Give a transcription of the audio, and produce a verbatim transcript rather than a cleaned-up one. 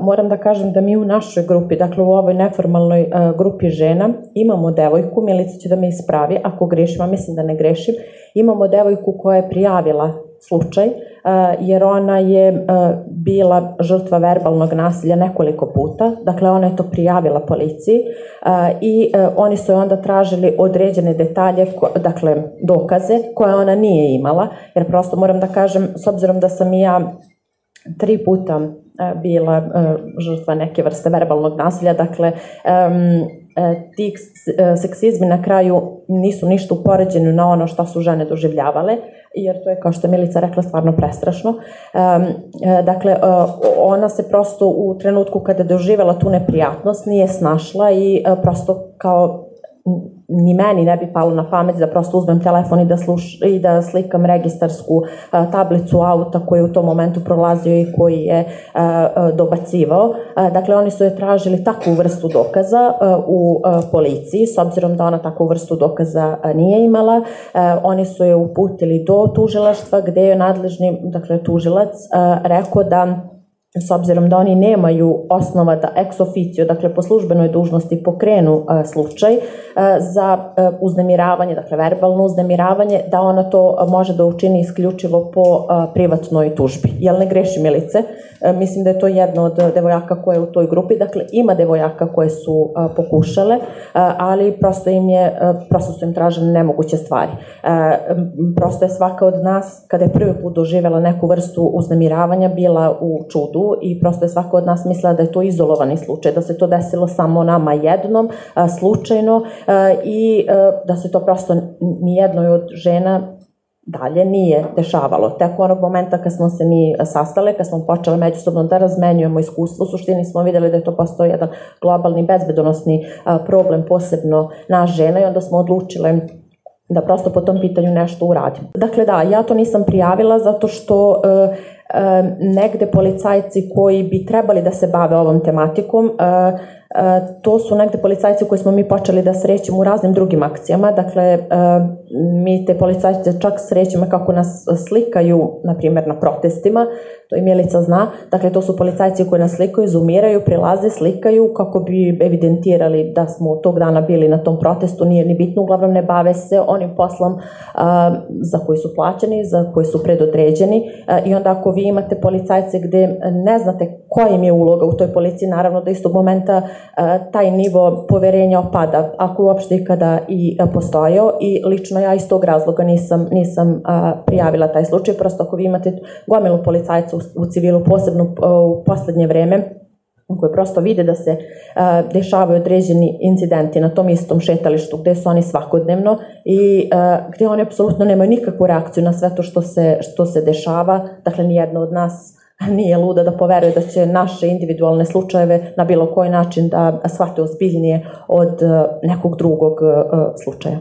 Moram da kažem da mi u našoj grupi, dakle u ovoj neformalnoj grupi žena, imamo devojku, Milica će da me ispravi ako grešim, a mislim da ne grešim, imamo devojku koja je prijavila slučaj, jer ona je bila žrtva verbalnog nasilja nekoliko puta, dakle ona je to prijavila policiji i oni su onda tražili određene detalje, dakle dokaze koje ona nije imala, jer prosto moram da kažem, s obzirom da sam i ja tri puta bila žrtva neke vrste verbalnog nasilja, dakle ti seksizmi na kraju nisu ništa upoređeni na ono što su žene doživljavale, jer to je, kao što je Milica rekla, stvarno prestrašno. Dakle, ona se prosto u trenutku kada je doživjela tu neprijatnost nije snašla i prosto kao ni meni ne bi palo na pamet da prosto uzmem telefon i da, sluš, i da slikam registarsku a, tablicu auta koji je u tom momentu prolazio i koji je a, a, dobacivao. A, dakle, oni su je tražili takvu vrstu dokaza a, u a, policiji, s obzirom da ona takvu vrstu dokaza a, nije imala. A, oni su je uputili do tužilaštva gde je nadležni, dakle, tužilac a, rekao da s obzirom da oni nemaju osnova da ex officio, dakle po službenoj dužnosti pokrenu a, slučaj a, za a, uznemiravanje, dakle verbalno uznemiravanje, da ona to može da učini isključivo po a, privatnoj tužbi. Jel ne greši, Milice? A, mislim da je to jedna od devojaka koja je u toj grupi, dakle ima devojaka koje su a, pokušale, a, ali prosto im je, a, prosto su im tražene nemoguće stvari. A, prosto je svaka od nas, kada je prvi put doživjela neku vrstu uznemiravanja, bila u čudu i prosto je svako od nas mislila da je to izolovani slučaj, da se to desilo samo nama jednom, a, slučajno a, i a, da se to prosto nijednoj od žena dalje nije dešavalo. Tek onog momenta kad smo se mi sastale, kad smo počeli međusobno da razmenjujemo iskustvo, u suštini smo videli da je to postoji jedan globalni bezbedonosni a, problem, posebno nas žena, i onda smo odlučile da prosto po tom pitanju nešto uradimo. Dakle, da, ja to nisam prijavila zato što e, e, negde policajci koji bi trebali da se bave ovom tematikom, e, to su negde policajci koji smo mi počeli da srećemo u raznim drugim akcijama. Dakle, mi te policajce čak srećemo kako nas slikaju, na primjer, na protestima, to i Milica zna. Dakle, to su policajci koji nas slikaju, zoomiraju, prilaze, slikaju kako bi evidentirali da smo tog dana bili na tom protestu, nije ni bitno, uglavnom ne bave se onim poslom a, za koji su plaćeni, za koji su predodređeni. A, I onda ako vi imate policajce gde ne znate koja im je uloga u toj policiji, naravno da istog momenta taj nivo poverenja opada, ako uopšte ikada i postojao, i lično ja iz tog razloga nisam, nisam prijavila taj slučaj. Prosto ako vi imate gomilu policajca u, u civilu, posebno u poslednje vreme, koje prosto vide da se uh, dešavaju određeni incidenti na tom istom šetalištu gde su oni svakodnevno i uh, gde oni apsolutno nemaju nikakvu reakciju na sve to što se, što se dešava. Dakle, nijedno od nas nije luda da poveruje da će naše individualne slučajeve na bilo koji način da shvate ozbiljnije od uh, nekog drugog uh, slučaja.